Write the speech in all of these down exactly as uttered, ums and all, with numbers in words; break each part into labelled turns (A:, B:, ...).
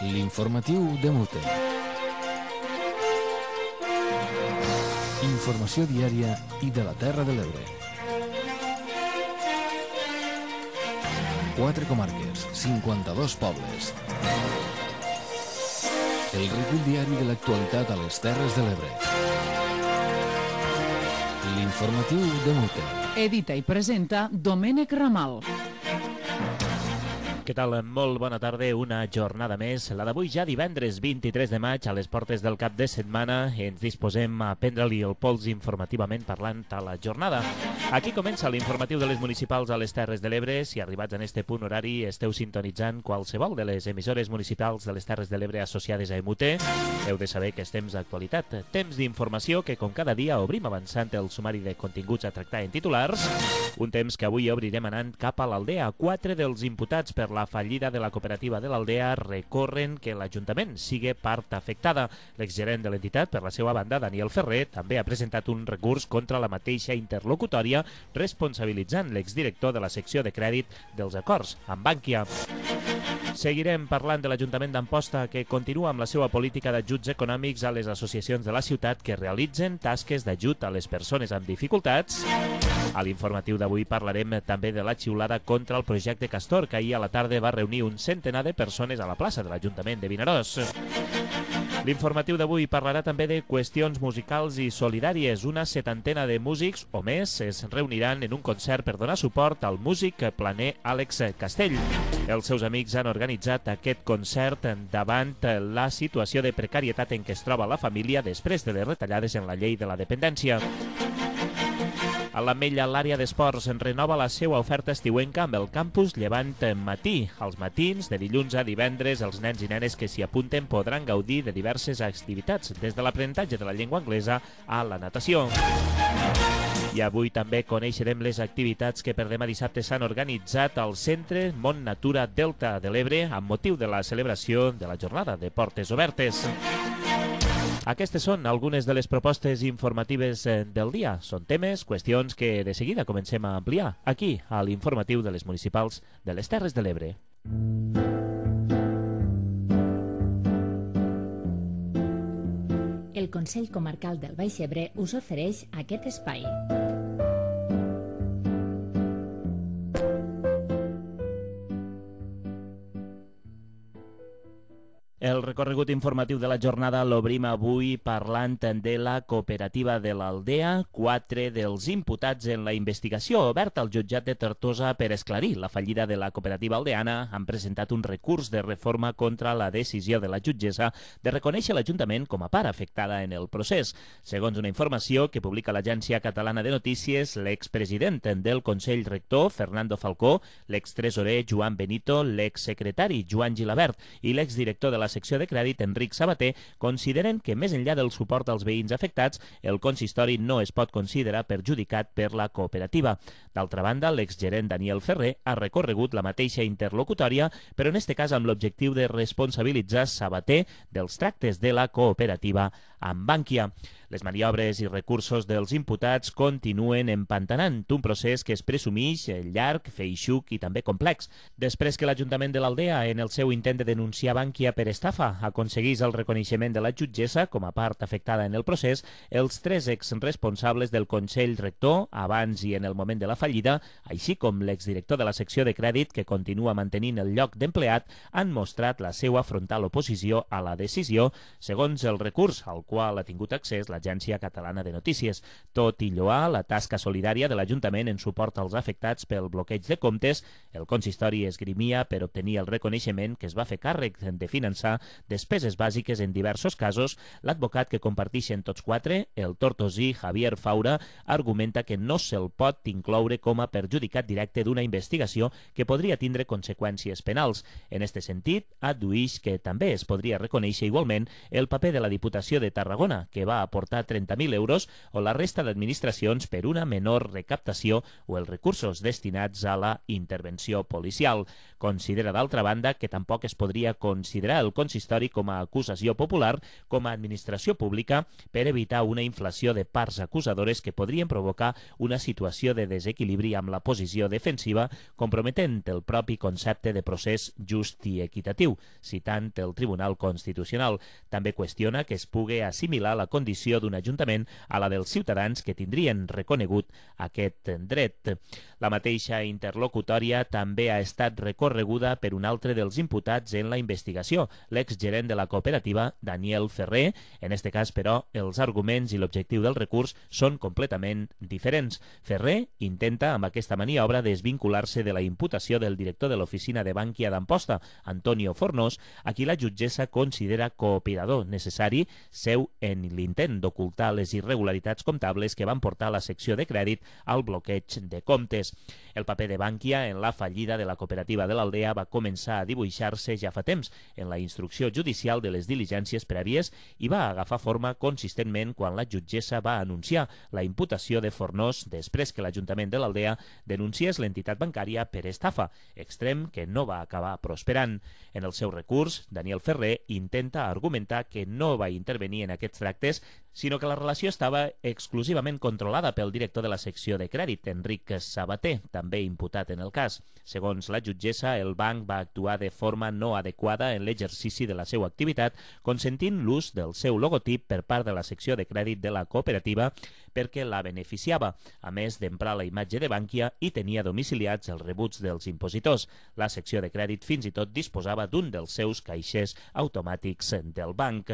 A: L'informatiu de Mute. Informació diària i de la Terra de l'Ebre. Quatre comarques, cinquanta-dos pobles. El recull diari de l'actualitat a les Terres de l'Ebre. L'informatiu de Mute.
B: Edita i presenta Domènec Ramal.
C: Què tal? Molt bona tarda, una jornada més. La d'avui ja divendres vint-i-tres de maig, a les portes del cap de setmana, ens disposem a prendre-li el pols informativament parlant a la jornada. Aquí comença l'informatiu de les municipals a les Terres de l'Ebre. Si arribats en este punt horari esteu sintonitzant qualsevol de les emissores municipals de les Terres de l'Ebre associades a E M U T, heu de saber que és temps d'actualitat, temps d'informació que com cada dia obrim avançant el sumari de continguts a tractar en titulars, un temps que avui obrirem anant cap a l'Aldea. Quatre dels imputats per la fallida de la cooperativa de l'Aldea recorren que l'Ajuntament sigui part afectada. L'exgerent de l'entitat, per la seva banda, Daniel Ferrer, també ha presentat un recurs contra la mateixa interlocutòria, responsabilitzant l'exdirector de la secció de crèdit dels acords amb Bankia. Seguirem parlant de l'Ajuntament d'Amposta, que continua amb la seva política d'ajuts econòmics a les associacions de la ciutat que realitzen tasques d'ajut a les persones amb dificultats. A l'informatiu d'avui parlarem també de la xiulada contra el projecte Castor, que ahir a la tarda va reunir un centenar de persones a la plaça de l'Ajuntament de Vinaròs. L'informatiu d'avui parlarà també de qüestions musicals i solidàries. Una setantena de músics o més es reuniran en un concert per donar suport al músic planer Àlex Castell. Els seus amics han organitzat aquest concert davant la situació de precarietat en què es troba la família després de les retallades en la llei de la dependència. A l'Ametlla, l'àrea d'esports renova la seva oferta estiuenca amb el campus Llevant Matí. Als matins, de dilluns a divendres, els nens i nenes que s'hi apunten podran gaudir de diverses activitats, des de l'aprenentatge de la llengua anglesa a la natació. I avui també coneixerem les activitats que per demà dissabte s'han organitzat al Centre Mont Natura Delta de l'Ebre amb motiu de la celebració de la jornada de portes obertes. Aquestes són algunes de les propostes informatives del dia. Són temes, qüestions que de seguida comencem a ampliar aquí, a l'informatiu de les municipals de les Terres de l'Ebre.
D: El Consell Comarcal del Baix Ebre us ofereix aquest espai.
C: El recorregut informatiu de la jornada l'obrim avui parlant de la cooperativa de l'Aldea. Quatre dels imputats en la investigació oberta al jutjat de Tortosa per esclarir la fallida de la cooperativa aldeana han presentat un recurs de reforma contra la decisió de la jutgessa de reconèixer l'Ajuntament com a part afectada en el procés. Segons una informació que publica l'Agència Catalana de Notícies, l'expresident del Consell Rector, Fernando Falcó, l'extresorer Joan Benito, l'exsecretari Joan Gilabert i l'exdirector de la secció de crèdit, Enric Sabater, consideren que més enllà del suport als veïns afectats, el consistori no es pot considerar perjudicat per la cooperativa. D'altra banda, l'exgerent Daniel Ferrer ha recorregut la mateixa interlocutòria, però en este cas amb l'objectiu de responsabilitzar Sabater dels tractes de la cooperativa amb Bankia. Les maniobres i recursos dels imputats continuen empantanant un procés que es presumeix llarg, feixuc i també complex. Després que l'Ajuntament de l'Aldea, en el seu intent de denunciar Bankia per estafa, aconseguís el reconeixement de la jutgessa com a part afectada en el procés, els tres exresponsables del Consell Rector, abans i en el moment de la fallida, així com l'exdirector de la secció de crèdit, que continua mantenint el lloc d'empleat, han mostrat la seva frontal oposició a la decisió, segons el recurs al qual ha tingut accés l'Agència Catalana de Notícies. Tot i lloar la tasca solidària de l'Ajuntament en suport als afectats pel bloqueig de comptes, el consistori esgrimia per obtenir el reconeixement que es va fer càrrec de finançar despeses bàsiques en diversos casos. L'advocat que comparteixen tots quatre, el tortosí Javier Faura, argumenta que no se'l pot incloure com a perjudicat directe d'una investigació que podria tindre conseqüències penals. En este sentit, addueix que també es podria reconèixer igualment el paper de la Diputació de Tarragona, que va aportar aportar trenta mil euros o la resta d'administracions per una menor recaptació o els recursos destinats a la intervenció policial. Considera, d'altra banda, que tampoc es podria considerar el consistori com a acusació popular com a administració pública per evitar una inflació de parts acusadores que podrien provocar una situació de desequilibri amb la posició defensiva, comprometent el propi concepte de procés just i equitatiu, citant el Tribunal Constitucional. També qüestiona que es pugui assimilar la condició d'un ajuntament a la dels ciutadans que tindrien reconegut aquest dret. La mateixa interlocutòria també ha estat recorreguda per un altre dels imputats en la investigació, l'exgerent de la cooperativa, Daniel Ferrer. En este cas, però, els arguments i l'objectiu del recurs són completament diferents. Ferrer intenta, amb aquesta maniobra, desvincular-se de la imputació del director de l'oficina de Bankia d'Amposta, Antonio Fornós, a qui la jutgessa considera cooperador necessari seu en l'intent d'ocultar les irregularitats comptables que van portar la secció de crèdit al bloqueig de comptes. El paper de Bankia en la fallida de la cooperativa de l'Aldea va començar a dibuixar-se ja fa temps en la instrucció judicial de les diligències prèvies i va agafar forma consistentment quan la jutgessa va anunciar la imputació de Fornós després que l'Ajuntament de l'Aldea denunciés l'entitat bancària per estafa, extrem que no va acabar prosperant. En el seu recurs, Daniel Ferrer intenta argumentar que no va intervenir en aquests tractes, sinó que la relació estava exclusivament controlada pel director de la secció de crèdit, Enric Sabater, també imputat en el cas. Segons la jutgessa, el banc va actuar de forma no adequada en l'exercici de la seva activitat, consentint l'ús del seu logotip per part de la secció de crèdit de la cooperativa perquè la beneficiava, a més d'emprar la imatge de Bankia i tenia domiciliats els rebuts dels impositors. La secció de crèdit fins i tot disposava d'un dels seus caixers automàtics del banc.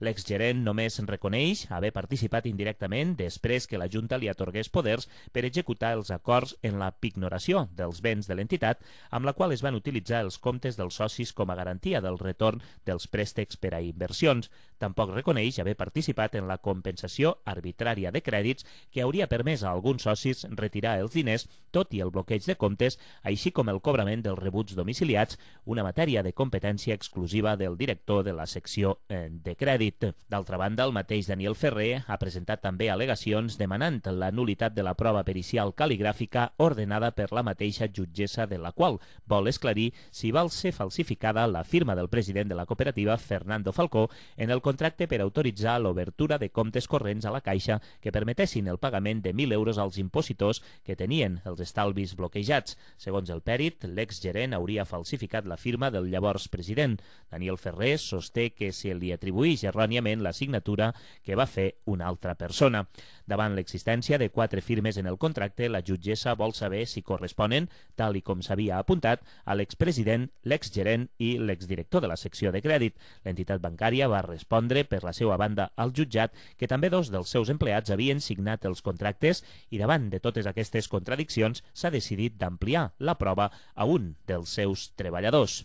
C: L'exgerent només reconeix haver participat indirectament després que la Junta li atorgués poders per executar els acords en la pignoració dels béns de l'entitat, amb la qual es van utilitzar els comptes dels socis com a garantia del retorn dels préstecs per a inversions. Tampoc reconeix haver participat en la compensació arbitrària de crèdits que hauria permès a alguns socis retirar els diners, tot i el bloqueig de comptes, així com el cobrament dels rebuts domiciliats, una matèria de competència exclusiva del director de la secció de crèdit. D'altra banda, el mateix Daniel Ferrer ha presentat també al·legacions demanant la nul·litat de la prova pericial cal·ligràfica ordenada per la mateixa jutgessa, de la qual vol esclarir si va ser falsificada la firma del president de la cooperativa, Fernando Falcó, en el contracte per autoritzar l'obertura de comptes corrents a la Caixa que permetessin el pagament de mil euros als impositors que tenien els estalvis bloquejats. Segons el pèrit, l'exgerent hauria falsificat la firma del llavors president. Daniel Ferrer sosté que se li atribuïx erròniament la signatura que va fer una altra persona. Davant l'existència de quatre firmes en el contracte, la jutgessa vol saber si corresponen, tal i com s'havia apuntat, a l'expresident, l'exgerent i l'exdirector de la secció de crèdit. L'entitat bancària va respondre per la seva banda al jutjat que també dos dels seus empleats havien signat els contractes i davant de totes aquestes contradiccions s'ha decidit d'ampliar la prova a un dels seus treballadors.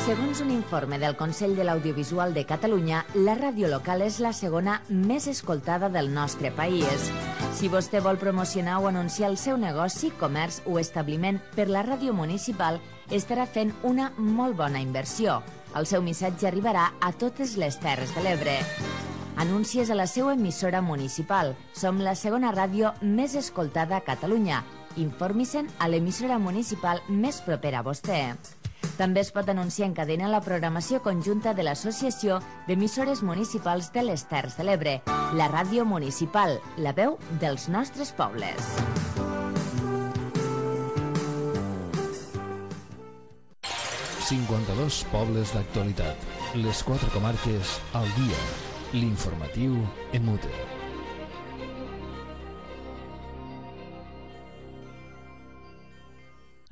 E: Segons un informe del Consell de l'Audiovisual de Catalunya, la ràdio local és la segona més escoltada del nostre país. Si vostè vol promocionar o anunciar el seu negoci, comerç o establiment per la ràdio municipal, estarà fent una molt bona inversió. El seu missatge arribarà a totes les Terres de l'Ebre. Anuncies a la seva emissora municipal. Som la segona ràdio més escoltada a Catalunya. Informi-se'n a l'emissora municipal més propera a vostè. També es pot anunciar en cadena la programació conjunta de l'Associació d'Emissores Municipals de les Terres de l'Ebre, la ràdio municipal, la veu dels nostres pobles.
A: cinquanta-dos pobles d'actualitat. Les quatre comarques al dia. L'informatiu en mute.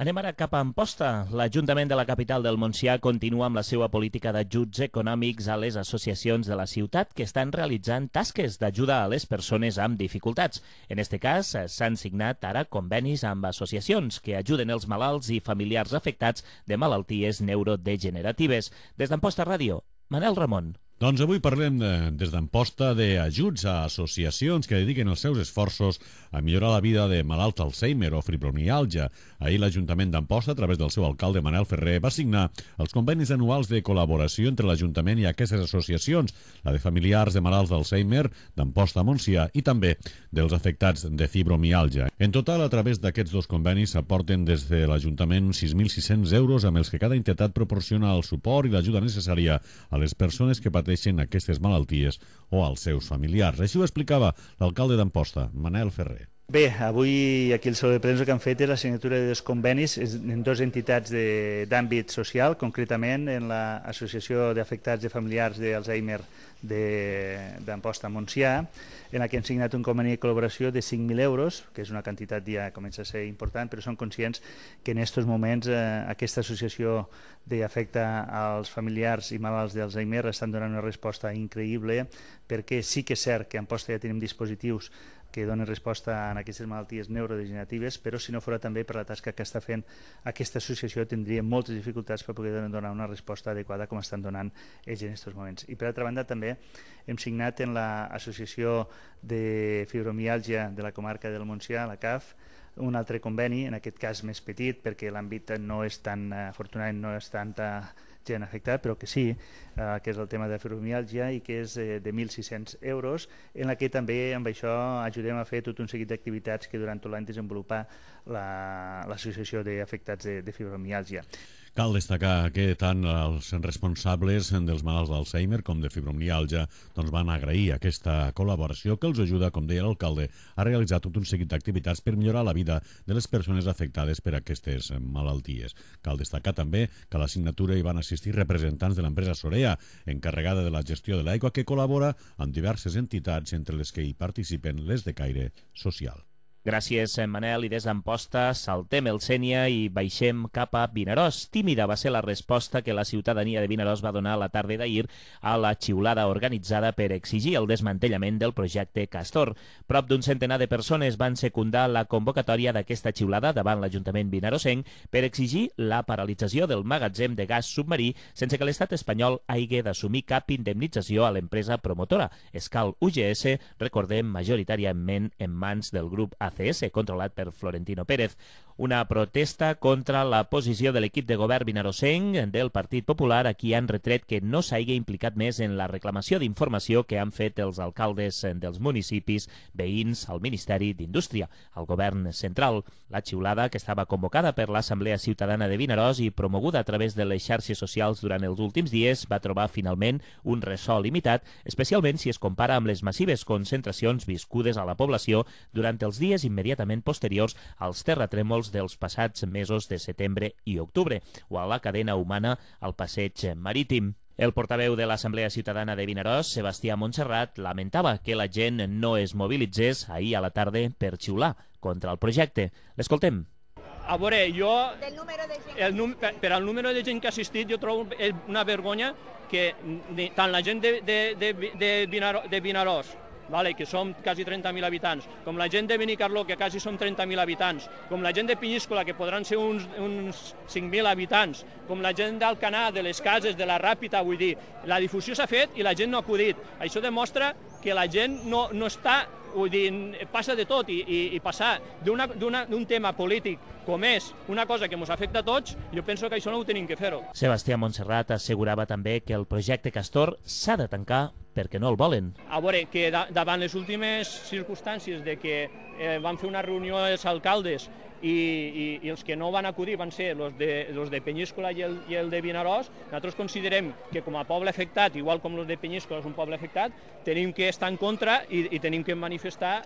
C: Anem ara cap a Amposta. L'Ajuntament de la capital del Montsià continua amb la seva política d'ajuts econòmics a les associacions de la ciutat que estan realitzant tasques d'ajuda a les persones amb dificultats. En aquest cas, s'han signat ara convenis amb associacions que ajuden els malalts i familiars afectats de malalties neurodegeneratives. Des d'Amposta Ràdio, Manel Ramon.
F: Doncs avui parlem de, des d'Amposta d'ajuts a associacions que dediquen els seus esforços a millorar la vida de malalts d'Alzheimer o fibromiàlgia. Ahir l'Ajuntament d'Amposta, a través del seu alcalde Manel Ferrer, va signar els convenis anuals de col·laboració entre l'Ajuntament i aquestes associacions, la de familiars de malalts d'Alzheimer d'Amposta a Montsià i també dels afectats de fibromiàlgia. En total, a través d'aquests dos convenis s'aporten des de l'Ajuntament sis mil sis-cents euros amb els que cada entitat proporciona el suport i l'ajuda necessària a les persones que pateixen aquestes malalties o als seus familiars. Així ho explicava l'alcalde d'Amposta, Manel Ferrer.
G: Bé, avui aquí el Saló de Premsa que han fet és la signatura de dos convenis en dues entitats d'àmbit social, concretament en l'Associació d'Afectats de Familiars d'Alzheimer d'Amposta a Montsià, en la que hem signat un conveni de col·laboració de cinc mil euros, que és una quantitat ja comença a ser important, però som conscients que en aquests moments eh, aquesta associació d'afecta als familiars i malalts d'Alzheimer estan donant una resposta increïble, perquè sí que és cert que a Amposta ja tenim dispositius que donen resposta a aquestes malalties neurodegeneratives, però si no fos també per la tasca que està fent aquesta associació tindria moltes dificultats per poder donar una resposta adequada com estan donant ells en aquests moments. I per altra banda també hem signat en l'Associació de Fibromiàlgia de la comarca del Montsià, la C A F, un altre conveni, en aquest cas més petit, perquè l'àmbit no és tan, afortunadament no és tanta gent afectada, però que sí, eh, que és el tema de fibromiàlgia i que és eh, de mil sis-cents euros, en la que també amb això ajudem a fer tot un seguit d'activitats que durant tot l'any desenvolupa l'Associació la, d'Afectats de, de Fibromiàlgia.
F: Cal destacar que tant els responsables dels malalts d'Alzheimer com de fibromiàlgia doncs van agrair aquesta col·laboració que els ajuda, com deia l'alcalde, a realitzar tot un seguit d'activitats per millorar la vida de les persones afectades per aquestes malalties. Cal destacar també que a la signatura hi van assistir representants de l'empresa Sorea, encarregada de la gestió de l'aigua, que col·labora amb diverses entitats, entre les que hi participen les de caire social.
C: Gràcies, Manel. I des d'Amposta saltem el Sénia i baixem cap a Vinaròs. Tímida va ser la resposta que la ciutadania de Vinaròs va donar la tarda d'ahir a la xiulada organitzada per exigir el desmantellament del projecte Castor. Prop d'un centenar de persones van secundar la convocatòria d'aquesta xiulada davant l'Ajuntament vinarossenc per exigir la paralització del magatzem de gas submarí sense que l'estat espanyol hagi d'assumir cap indemnització a l'empresa promotora. Escal U G S, recordem, majoritàriament en mans del grup A C S, controlat per Florentino Pérez. Una protesta contra la posició de l'equip de govern vinarossenc del Partit Popular, a qui han retret que no s'hagi implicat més en la reclamació d'informació que han fet els alcaldes dels municipis veïns al Ministeri d'Indústria, al govern central. La xiulada, que estava convocada per l'Assemblea Ciutadana de Vinaròs i promoguda a través de les xarxes socials durant els últims dies, va trobar finalment un ressò limitat, especialment si es compara amb les massives concentracions viscudes a la població durant els dies immediatament posteriors als terratrèmols dels passats mesos de setembre i octubre, o a la cadena humana al passeig marítim. El portaveu de l'Assemblea Ciutadana de Vinaròs, Sebastià Montserrat, lamentava que la gent no es mobilitzés ahir a la tarda per xiular contra el projecte. L'escoltem.
H: A veure, jo, el, per al número de gent que ha assistit, jo trobo una vergonya que tant la gent de, de, de, de, Vinaròs, de Vinaròs, vale, que som quasi trenta mil habitants, com la gent de Benicarló, que quasi som trenta mil habitants, com la gent de Penyíscola, que podran ser uns, uns cinc mil habitants, com la gent d'Alcanar, de les Cases, de la Ràpita, vull dir, la difusió s'ha fet i la gent no ha acudit. Això demostra que la gent no, no està, vull dir, passa de tot i, i, i passar d'un tema polític com és una cosa que ens afecta a tots, jo penso que això no ho tenim que fer-ho.
C: Sebastià Montserrat assegurava també que el projecte Castor s'ha de tancar perquè no el volen.
H: A veure, que da, davant les últimes circumstàncies de que eh, van fer una reunió els alcaldes i, i, i els que no van acudir van ser els de, los de Penyíscola i el, i el de Vinaròs, nosaltres considerem que com a poble afectat, igual com els de Penyíscola és un poble afectat, tenim que estar en contra i, i tenim que manifestar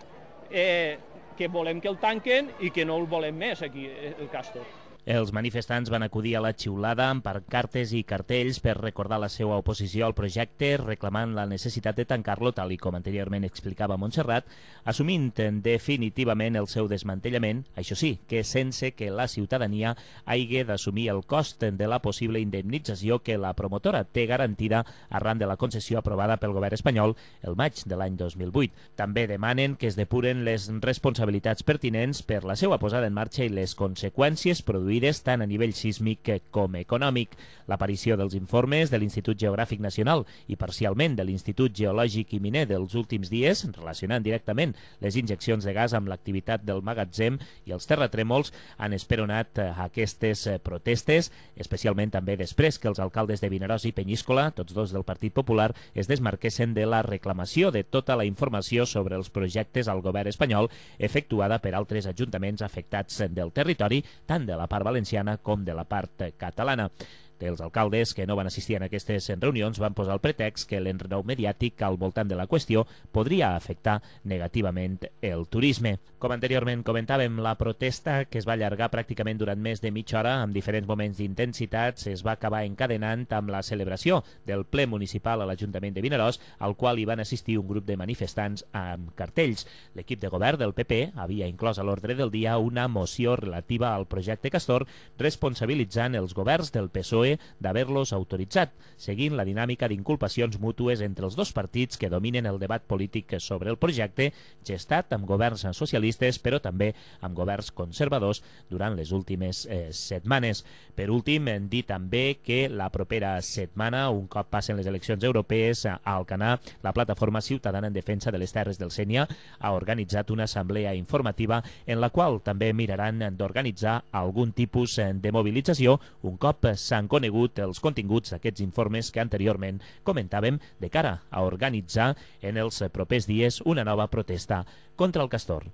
H: eh, que volem que el tanquen i que no el volem més aquí, el Castor.
C: Els manifestants van acudir a la xiulada amb pancartes i cartells per recordar la seva oposició al projecte, reclamant la necessitat de tancar-lo, tal i com anteriorment explicava Montserrat, assumint definitivament el seu desmantellament, això sí, que sense que la ciutadania hagi d'assumir el cost de la possible indemnització que la promotora té garantida arran de la concessió aprovada pel govern espanyol el maig de l'any dos mil vuit. També demanen que es depuren les responsabilitats pertinents per la seva posada en marxa i les conseqüències produïdes destruïdes tant a nivell sísmic com econòmic. L'aparició dels informes de l'Institut Geogràfic Nacional i parcialment de l'Institut Geològic i Miner dels últims dies, relacionant directament les injeccions de gas amb l'activitat del magatzem i els terratrèmols, han esperonat aquestes protestes, especialment també després que els alcaldes de Vinaròs i Penyíscola, tots dos del Partit Popular, es desmarquessin de la reclamació de tota la informació sobre els projectes al govern espanyol efectuada per altres ajuntaments afectats del territori, tant de la part valenciana com de la part catalana. Els alcaldes que no van assistir a aquestes reunions van posar el pretext que l'enrenou mediàtic al voltant de la qüestió podria afectar negativament el turisme. Com anteriorment comentàvem, la protesta, que es va allargar pràcticament durant més de mitja hora amb diferents moments d'intensitat, es va acabar encadenant amb la celebració del ple municipal a l'Ajuntament de Vinaròs, al qual hi van assistir un grup de manifestants amb cartells. L'equip de govern del P P havia inclòs a l'ordre del dia una moció relativa al projecte Castor, responsabilitzant els governs del P S O E d'haver-los autoritzat, seguint la dinàmica d'inculpacions mútues entre els dos partits que dominen el debat polític sobre el projecte, gestat amb governs socialistes, però també amb governs conservadors durant les últimes eh, setmanes. Per últim, hem dit també que la propera setmana, un cop passen les eleccions europees, a Alcanar, la plataforma ciutadana en defensa de les terres del Sénia ha organitzat una assemblea informativa en la qual també miraran d'organitzar algun tipus de mobilització un cop s'han conegut els continguts d'aquests informes que anteriorment comentàvem de cara a organitzar en els propers dies una nova protesta contra el castor.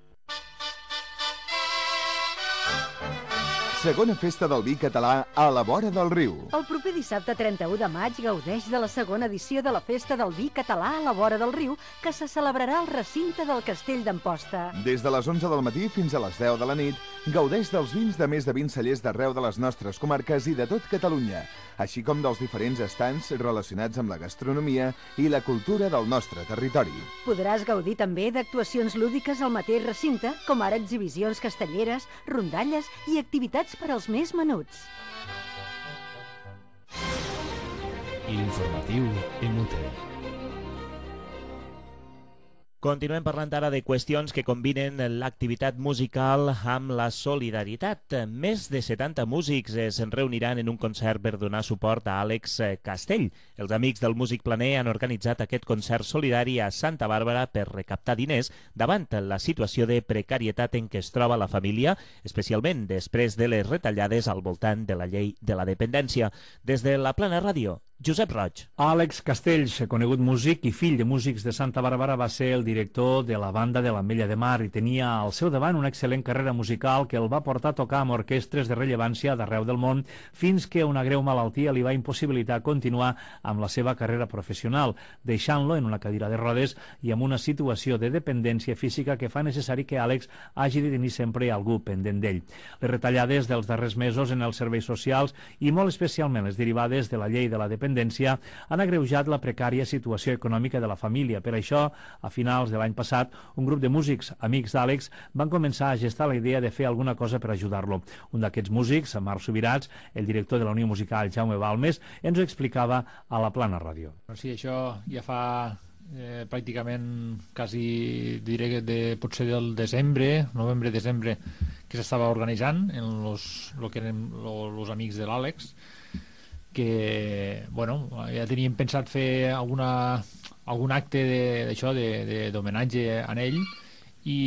I: Segona festa del vi català a la vora del riu.
J: El proper dissabte trenta-u de maig gaudeix de la segona edició de la Festa del Vi Català a la vora del riu, que se celebrarà al recinte del Castell d'Amposta.
I: Des de les onze del matí fins a les deu de la nit, gaudeix dels vins de més de vint cellers d'arreu de les nostres comarques i de tot Catalunya, així com dels diferents estants relacionats amb la gastronomia i la cultura del nostre territori.
J: Podràs gaudir també d'actuacions lúdiques al mateix recinte, com ara exhibicions castelleres, rondalles i activitats per als més menuts.
A: L'informatiu Imute.
C: Continuem parlant ara de qüestions que combinen l'activitat musical amb la solidaritat. Més de setanta músics es reuniran en un concert per donar suport a Àlex Castell. Els amics del músic planer han organitzat aquest concert solidari a Santa Bàrbara per recaptar diners davant la situació de precarietat en què es troba la família, especialment després de les retallades al voltant de la llei de la dependència. Des de la Plana Ràdio, Josep Roig.
K: Àlex Castells, conegut músic i fill de músics de Santa Bàrbara, va ser el director de la banda de l'Ametlla de Mar i tenia al seu davant una excel·lent carrera musical que el va portar a tocar amb orquestres de rellevància d'arreu del món fins que una greu malaltia li va impossibilitar continuar amb la seva carrera professional, deixant-lo en una cadira de rodes i amb una situació de dependència física que fa necessari que Àlex hagi de tenir sempre algú pendent d'ell. Les retallades dels darrers mesos en els serveis socials i molt especialment les derivades de la llei de la dependència han agreujat la precària situació econòmica de la família. Per això, a finals de l'any passat, un grup de músics amics d'Àlex van començar a gestar la idea de fer alguna cosa per ajudar-lo. Un d'aquests músics, Marc Subirats, el director de la Unió Musical Jaume Balmes, ens ho explicava a la Plana Ràdio.
L: Sí, això ja fa eh, pràcticament quasi, diré que de, potser del desembre, novembre-desembre, que s'estava organitzant en los, lo que eren los amics de l'Àlex, que, bueno, ja teníem pensat fer alguna, algun acte d'això, d'homenatge a ell, i,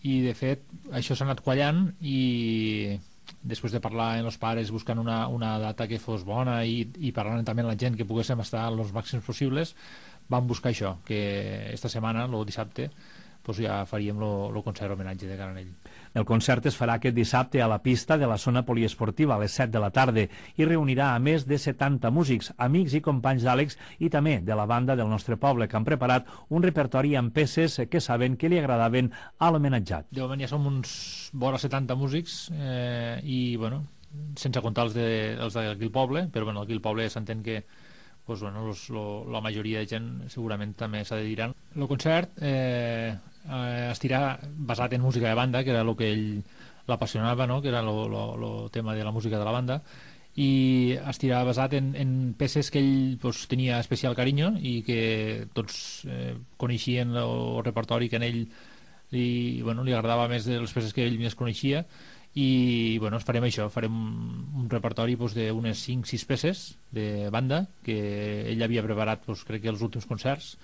L: i de fet això s'ha anat quallant, i després de parlar amb els pares buscant una, una data que fos bona i, i parlant també amb la gent que poguéssim estar els màxims possibles, vam buscar això, que esta setmana, el dissabte, pues ja faríem el concert homenatge de cara a ell.
K: El concert es farà aquest dissabte a la pista de la zona poliesportiva a les set de la tarda i reunirà a més de setanta músics, amics i companys d'Àlex i també de la banda del nostre poble, que han preparat un repertori amb peces que saben que li agradaven a l'homenatjat.
L: De moment ja som uns vora setanta músics eh, i, bueno, sense comptar els, de, els d'aquí el poble, però bueno, aquí el poble s'entén que pues, bueno, los, lo, la majoria de gent segurament també s'adheriran. El concert eh, eh, estirà basat en música de banda, que era el que ell l'apassionava, no? Que era el tema de la música de la banda, i estirà basat en, en peces que ell pues, tenia especial carinyo i que tots eh, coneixien el repertori que en ell li, bueno, li agradava més de les peces que ell més coneixia, i bueno, farem això, farem un repertori doncs, d'unes cinc sis peces de banda que ell havia preparat doncs, crec que els últims concerts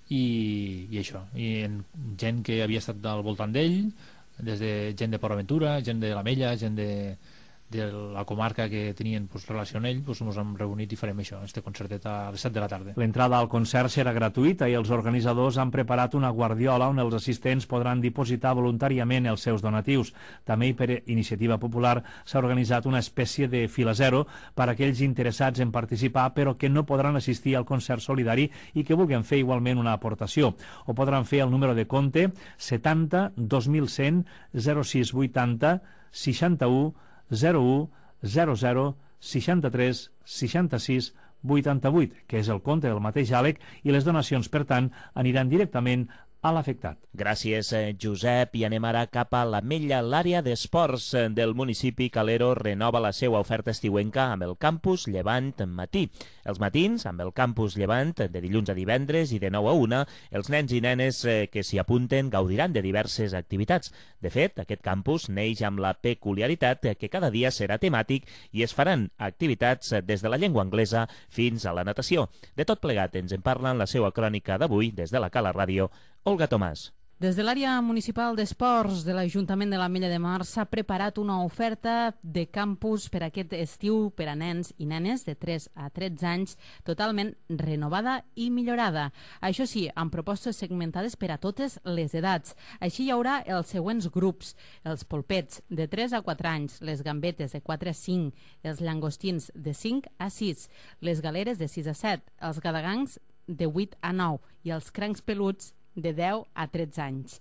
L: i, i això, i en gent que havia estat al voltant d'ell, des de gent de Port Aventura, gent de l'Ametlla, gent de, de la comarca que tenien pues, relació amb ell, pues, ens hem reunit i farem això, este concertet a les set de la tarda.
K: L'entrada al concert serà gratuïta i els organitzadors han preparat una guardiola on els assistents podran dipositar voluntàriament els seus donatius. També per iniciativa popular s'ha organitzat una espècie de fila zero per a aquells interessats en participar però que no podran assistir al concert solidari i que vulguin fer igualment una aportació. Ho podran fer al número de compte setanta dos mil cent zero sis vuitanta seixanta-u zero u zero zero seixanta-tres seixanta-sis vuitanta-vuit, que és el compte del mateix Àlex, i les donacions, per tant, aniran directament a l'afectat.
C: Gràcies, Josep. I anem ara cap a l'Ametlla. L'àrea d'esports del municipi Calero renova la seva oferta estiuenca amb el campus Llevant Matí. Els matins, amb el campus Llevant, de dilluns a divendres i de nou a una, els nens i nenes que s'hi apunten gaudiran de diverses activitats. De fet, aquest campus neix amb la peculiaritat que cada dia serà temàtic i es faran activitats des de la llengua anglesa fins a la natació. De tot plegat ens en parla en la seva crònica d'avui des de la Cala Ràdio, Olga Tomàs.
M: Des de l'àrea municipal d'esports de l'Ajuntament de l'Ametlla de Mar s'ha preparat una oferta de campus per aquest estiu per a nens i nenes de tres a tretze anys totalment renovada i millorada. Això sí, amb propostes segmentades per a totes les edats. Així hi haurà els següents grups: els polpets de tres a quatre anys, les gambetes de quatre a cinc, els llangostins de cinc a sis, les galeres de sis a set, els gadagangs de vuit a nou i els crancs peluts de deu a tretze anys.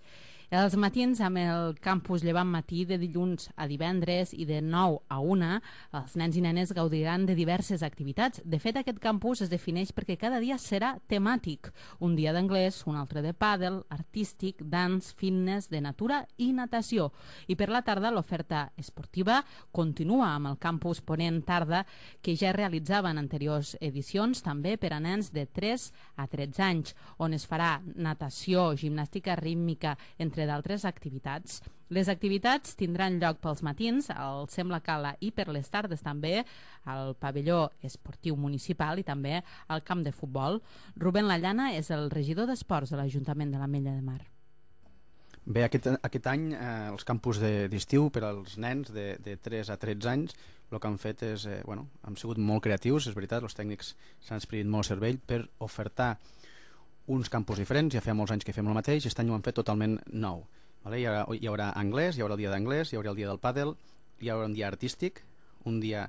M: Els matins amb el campus Llevant Matí de dilluns a divendres i de nou a una, els nens i nenes gaudiran de diverses activitats. De fet, aquest campus es defineix perquè cada dia serà temàtic. Un dia d'anglès, un altre de pàdel, artístic, dance, fitness, de natura i natació. I per la tarda l'oferta esportiva continua amb el campus Ponent Tarda, que ja realitzava en anteriors edicions, també per a nens de tres a tretze anys, on es farà natació, gimnàstica rítmica, entre d'altres activitats. Les activitats tindran lloc pels matins al Sem la Cala i per les tardes també al pavelló esportiu municipal i també al camp de futbol. Rubén Lallana és el regidor d'Esports de l'Ajuntament de l'Ametlla de Mar.
N: Bé, aquest, aquest any eh, els campus d'estiu per als nens de, de tres a tretze anys el que han fet és, eh, bueno, han sigut molt creatius, és veritat, els tècnics s'han experit molt cervell per ofertar uns campus diferents. Ja feia molts anys que fem el mateix, aquest any ho han fet totalment nou. Vale? Hi, haurà, hi haurà anglès, hi haurà el dia d'anglès, hi haurà el dia del pàdel, hi haurà un dia artístic, un dia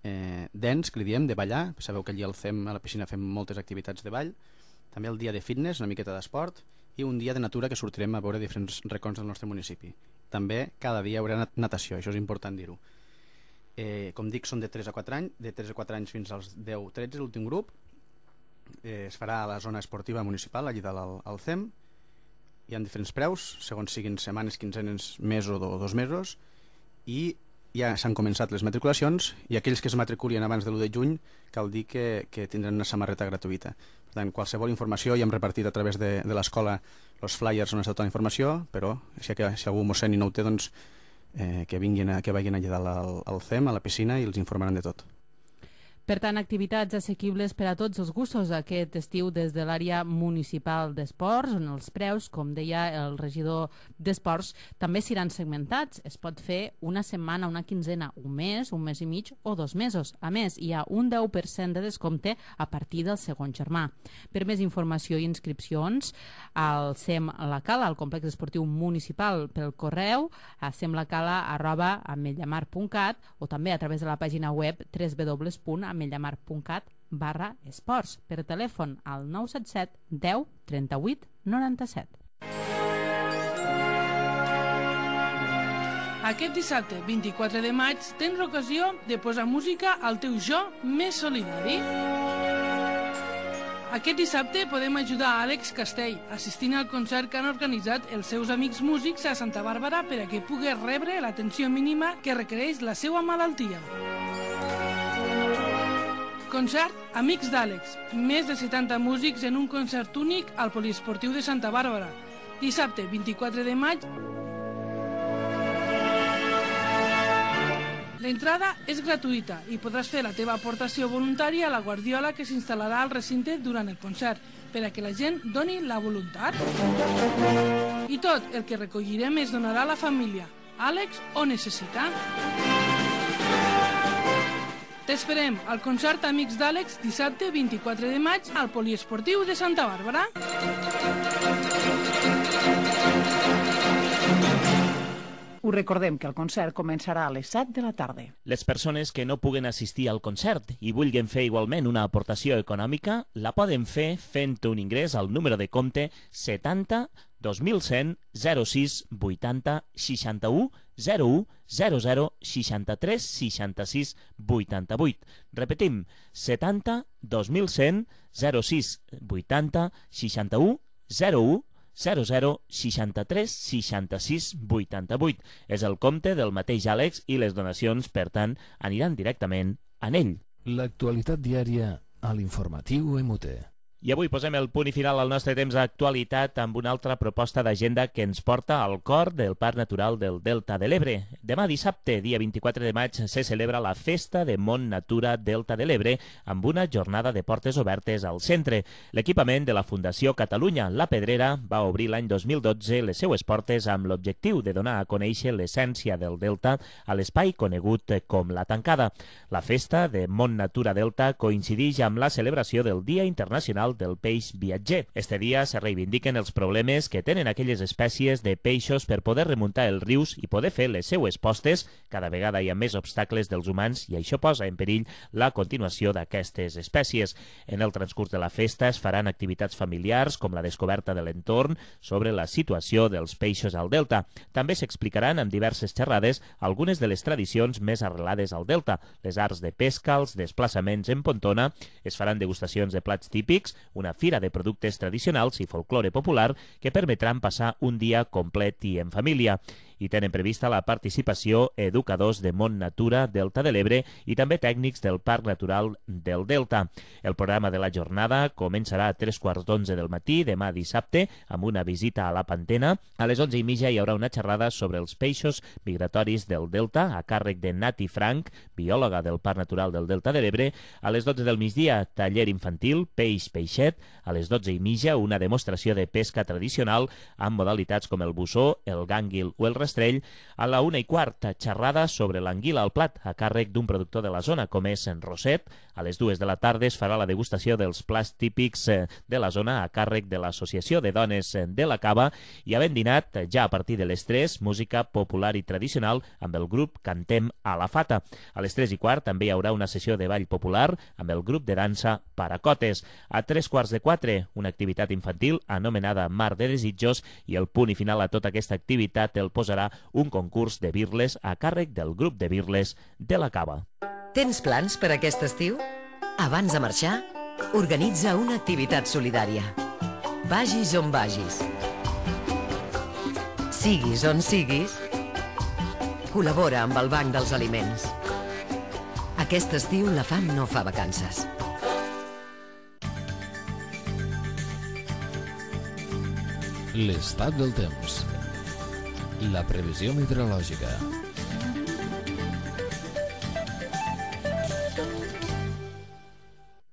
N: eh, dance, que li diem, de ballar. Sabeu que allí al C E M, a la piscina, fem moltes activitats de ball. També el dia de fitness, una miqueta d'esport, i un dia de natura que sortirem a veure diferents racons del nostre municipi. També cada dia hi haurà natació, això és important dir-ho. Eh, com dic, són de tres a quatre anys, de tres a quatre anys fins als deu a tretze, l'últim grup. Eh, es farà a la zona esportiva municipal, allí dalt al, al C E M. Hi ha diferents preus, segons siguin setmanes, quinzenes, mesos o dos mesos, i ja s'han començat les matriculacions, i aquells que es matriculin abans de l'u de juny cal dir que, que tindran una samarreta gratuïta. Per tant, qualsevol informació ja hem repartit a través de, de l'escola els flyers on està tota la informació, però si, que, si algú mossèn i no ho té, doncs eh, que vinguin a, que vagin allà dalt al, al C E M, a la piscina, i els informaran de tot.
M: Per tant, activitats assequibles per a tots els gustos aquest estiu des de l'àrea municipal d'esports, on els preus, com deia el regidor d'esports, també seran segmentats. Es pot fer una setmana, una quinzena, un mes, un mes i mig o dos mesos. A més, hi ha un deu per cent de descompte a partir del segon germà. Per més informació i inscripcions, al C E M La Cala, al complex esportiu municipal, pel correu a semlacala arroba ametllamar punt cat o també a través de la pàgina web w w w punt ametllamar punt cat barra esports, per telèfon al nou set set deu trenta-vuit noranta-set.
O: Aquest dissabte, vint-i-quatre de maig, tens l'ocasió de posar música al teu jo més solidari. Aquest dissabte podem ajudar a Àlex Castell assistint al concert que han organitzat els seus amics músics a Santa Bàrbara per a que pugui rebre l'atenció mínima que requereix la seva malaltia. Concert Amics d'Àlex. Més de setanta músics en un concert únic al Poliesportiu de Santa Bàrbara. Dissabte, vint-i-quatre de maig. L'entrada és gratuïta i podràs fer la teva aportació voluntària a la guardiola que s'instal·larà al recinte durant el concert, per a que la gent doni la voluntat. I tot el que recollirem es donarà a la família. Àlex ho necessita. T'esperem al concert Amics d'Àlex dissabte vint-i-quatre de maig al Poliesportiu de Santa Bàrbara.
B: Us recordem que el concert començarà a les set de la tarda.
C: Les persones que no puguen assistir al concert i vulguin fer igualment una aportació econòmica la poden fer fent un ingrés al número de compte setanta dos mil cent zero sis vuitanta seixanta-u zero u zero zero seixanta-tres seixanta-sis vuitanta-vuit. Repetim, setanta dos mil cent zero sis vuitanta seixanta-u zero u zero zero seixanta-tres seixanta-sis vuitanta-vuit. És el compte del mateix Àlex i les donacions, per tant, aniran directament en ell.
A: L'actualitat diària a l'informatiu M U T.
C: I avui posem el punt i final al nostre temps d'actualitat amb una altra proposta d'agenda que ens porta al cor del Parc Natural del Delta de l'Ebre. Demà dissabte, dia vint-i-quatre de maig, se celebra la Festa de Mont Natura Delta de l'Ebre amb una jornada de portes obertes al centre. L'equipament de la Fundació Catalunya La Pedrera va obrir l'any dos mil dotze les seues portes amb l'objectiu de donar a conèixer l'essència del Delta a l'espai conegut com la Tancada. La Festa de Mont Natura Delta coincideix amb la celebració del Dia Internacional del Peix Viatger. Este dia se reivindiquen els problemes que tenen aquelles espècies de peixos per poder remuntar els rius i poder fer les seues postes. Cada vegada hi ha més obstacles dels humans i això posa en perill la continuació d'aquestes espècies. En el transcurs de la festa es faran activitats familiars com la descoberta de l'entorn sobre la situació dels peixos al delta. També s'explicaran en diverses xerrades algunes de les tradicions més arrelades al delta, les arts de pesca, els desplaçaments en pontona, es faran degustacions de plats típics, una fira de productes tradicionals i folklore popular que permetran passar un dia complet i en família. I tenen prevista la participació educadors de Mont Natura Delta de l'Ebre i també tècnics del Parc Natural del Delta. El programa de la jornada començarà a tres quarts d'onze del matí, demà dissabte, amb una visita a la Pantena. A les onze i mitja hi haurà una xerrada sobre els peixos migratoris del Delta, a càrrec de Nati Frank, biòloga del Parc Natural del Delta de l'Ebre. A les dotze del migdia, taller infantil, peix, peixet. A les dotze i mitja, una demostració de pesca tradicional amb modalitats com el bussó, el gànguil o el rastrell. A la una i quart, xerrada sobre l'anguila al plat, a càrrec d'un productor de la zona, com és en Roset. A les dues de la tarda es farà la degustació dels plats típics de la zona a càrrec de l'Associació de Dones de la Cava i havent dinat, ja a partir de les tres, música popular i tradicional amb el grup Cantem a la Fata. A les tres i quart també hi haurà una sessió de ball popular amb el grup de dansa Paracotes. A tres quarts de quatre, una activitat infantil anomenada Mar de Desitjos i el punt i final a tota aquesta activitat el posarà un concurs de birles a càrrec del grup de birles de la Cava.
P: Tens plans per aquest estiu? Abans de marxar, organitza una activitat solidària. Vagis on vagis. Siguis on siguis, col·labora amb el Banc dels Aliments. Aquest estiu la fam no fa vacances.
A: L'estat del temps. La previsió meteorològica.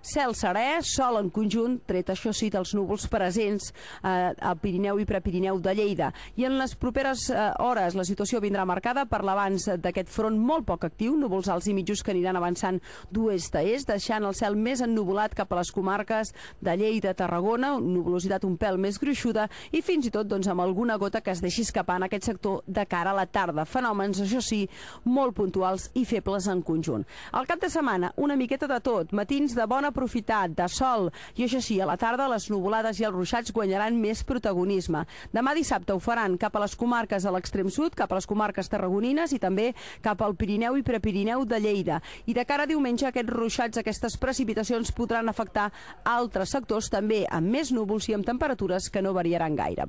Q: Cel serè, sol en conjunt, tret això sí dels núvols presents eh, al Pirineu i Prepirineu de Lleida. I en les properes eh, hores la situació vindrà marcada per l'avanç d'aquest front molt poc actiu, núvols alts i mitjos que aniran avançant d'oest a est, deixant el cel més ennuvolat cap a les comarques de Lleida, Tarragona, nuvolositat un pèl més gruixuda i fins i tot doncs, amb alguna gota que es deixi escapar en aquest sector de cara a la tarda. Fenòmens, això sí, molt puntuals i febles en conjunt. Al cap de setmana, una miqueta de tot, matins de bona profitat, de sol, i això sí, a la tarda les nuvolades i els ruixats guanyaran més protagonisme. Demà dissabte ho faran cap a les comarques de l'extrem sud, cap a les comarques tarragonines i també cap al Pirineu i Prepirineu de Lleida. I de cara a diumenge aquests ruixats, aquestes precipitacions podran afectar altres sectors també amb més núvols i amb temperatures que no variaran gaire.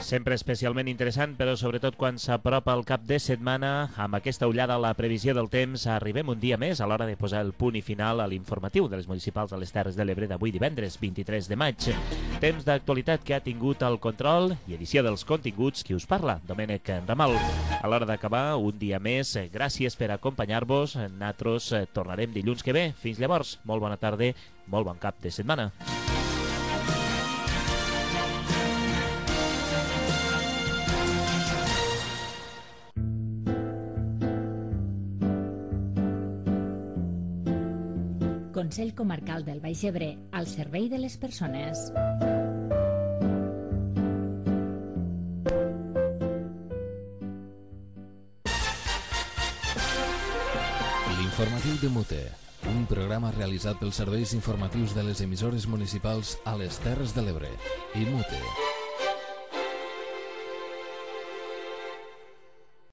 C: Sempre especialment interessant, però sobretot quan s'apropa el cap de setmana, amb aquesta ullada a la previsió del temps, arribem un dia més a l'hora de posar el punt i final a l'informatiu de les municipals de les Terres de l'Ebre d'avui divendres vint-i-tres de maig. Temps d'actualitat que ha tingut el control i edició dels continguts qui us parla, Domènec Ramal. A l'hora d'acabar, un dia més, gràcies per acompanyar-vos. Nosaltres tornarem dilluns que ve. Fins llavors, molt bona tarda, molt bon cap de setmana.
D: Consell Comarcal del Baix Ebre, al servei de les persones.
A: L'informatiu de Mute, un programa realitzat pels serveis informatius de les emissores municipals a les Terres de l'Ebre i Mute.